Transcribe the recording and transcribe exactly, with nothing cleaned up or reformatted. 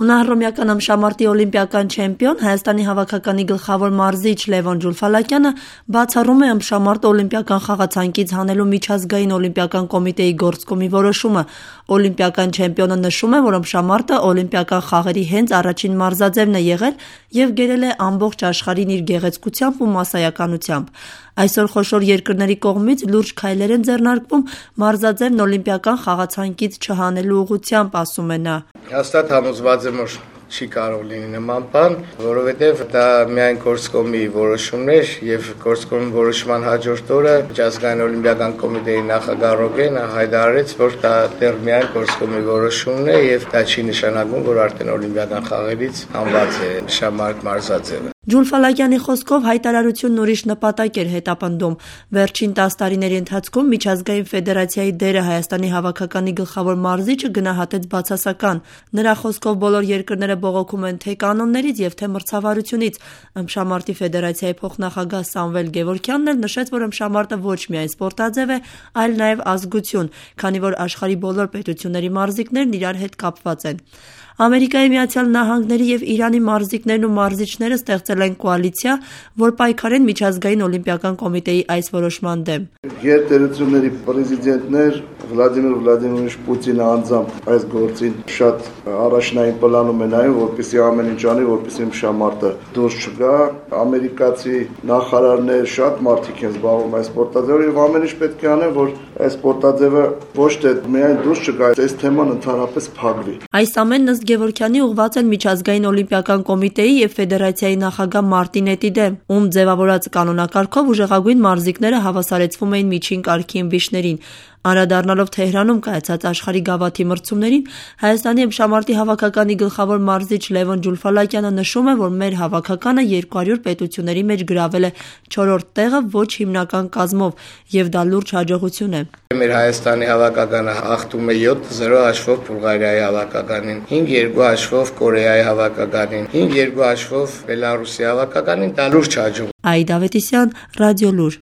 Հունահռոմեական ըմբշամարտի օլիմպիական չեմպիոն, Հայաստանի հավաքականի գլխավոր մարզիչ Լևոն Ջուլֆալակյանը բացառում է ըմբշամարտը օլիմպիական խաղացանկից հանելու միջազգային օլիմպիական կոմիտեի գործկոմի որոշումը։ Օլիմպիական չեմպիոնը նշում է, որ ըմբշամարտը օլիմպիական խաղերի հենց առաջին մարզաձևն է եղել և գերել է ամբողջ աշխարհին իր գեղեցկությամբ ու մասսայականությամբ։ Այսօր խոշոր երկրների կողմից լուրջ քայլեր են ձեռնարկվում մարզաձևն օլիմպիական խաղացանկից չհանելու ուղղությամբ, ասում է նա։ Հաստատ համոզված եմ, որ չի կարող լինի նման բան, որովհետև դա միայն գործկոմի որոշումն էր և գործկոմի որոշման հաջորդ օրը միջազգային օլիմպիական կոմիտեի նախագահ Ռոգենը հայտարարեց, որ դա դեռ միայն գործկոմի որոշումն է և դա չի նշանակում, որ արդեն օլիմպիական խաղերից հանված է ըմբշամարտ մարզաձևը։ Ջուլֆալակյանի խոսքով հայտարարությունն ուրիշ նպատակ էր հետապնդում։ Վերջին տաս տարիների ընթացքում միջազգային ֆեդերացիայի դերը Հայաստանի հավաքականի գլխավոր մարզիչը գնահատեց բացասական։ Նրա խոսքով բոլոր երկրները բողոքում են թե կանոններից և թե մրցավարությունից։ Ըմբշամարտի ֆեդերացիայի փոխնախագահ Սամվել Գևորգյանն էլ նշեց, որ ըմբշամարտը ոչ միայն սպորտաձև է, այլ նաև ազգություն, քանի որ աշխարհի բոլոր պետությունների մարզիկներն իրար հետ կապված են։ Ամերիկայի Միացյալ Նահանգների և Իրանի մարզիկներն ու մարզիչները ստեղծել են կոալիցիա, որ պայքարեն միջազգային օլիմպիական կոմիտեի այս որոշման դեմ։ Գերտերությունների պրեզիդենտներ Վլադիմիր Վլադիմիրովիչ Պուտինը անձամբ այս գործին շատ առաջնային պլանում է նայում, որպեսզի ամեն ինչ անի, որպեսզի ըմբշամարտը դուրս չգա։ Ամերիկացի նախարարներ, շատ մարդիկ են զբաղվում այս սպորտաձևով և ամեն ինչ պետք է անեն, որ այս սպորտաձևը ոչ թե միայն դուրս չգա, այս թեման ընդհանրապես փակվի։ Այս ամենն ըստ Գևորգյանի ուղղված են միջազգային օլիմպիական կոմիտեի և ֆեդերացիայի նախագահ Մարտին Էտիդեմ, ում ձևավորած կանոնակարգով ուժեղագույն մարզիկները հավասարեցվում էին միջին կարգի ըմբիշներին։ Անդրադառնալով Թեհրանում կայացած աշխարհի գավաթի մրցումներին, Հայաստանի ըմբշամարտի հավաքականի գլխավոր մարզիչ Լևոն Ջուլֆալակյանը նշում է, որ մեր հավաքականը երկու հարյուր պետությունների մեջ գրավել է չորրորդ տեղը ոչ հիմնական կազմով, և դա լուրջ հաջողություն է։ Մեր Հայաստանի հավաքականը հաղթում է յոթ զրո հաշվով Բուլղարիայի հավաքականին, հինգ երկու հաշվով Կորեայի հավաքականին, հինգ երկու հաշվով Բելարուսի հավաքականին, դա լուրջ հաջողություն։ Աիդա Ավետիսյան, Ռադիոլուր։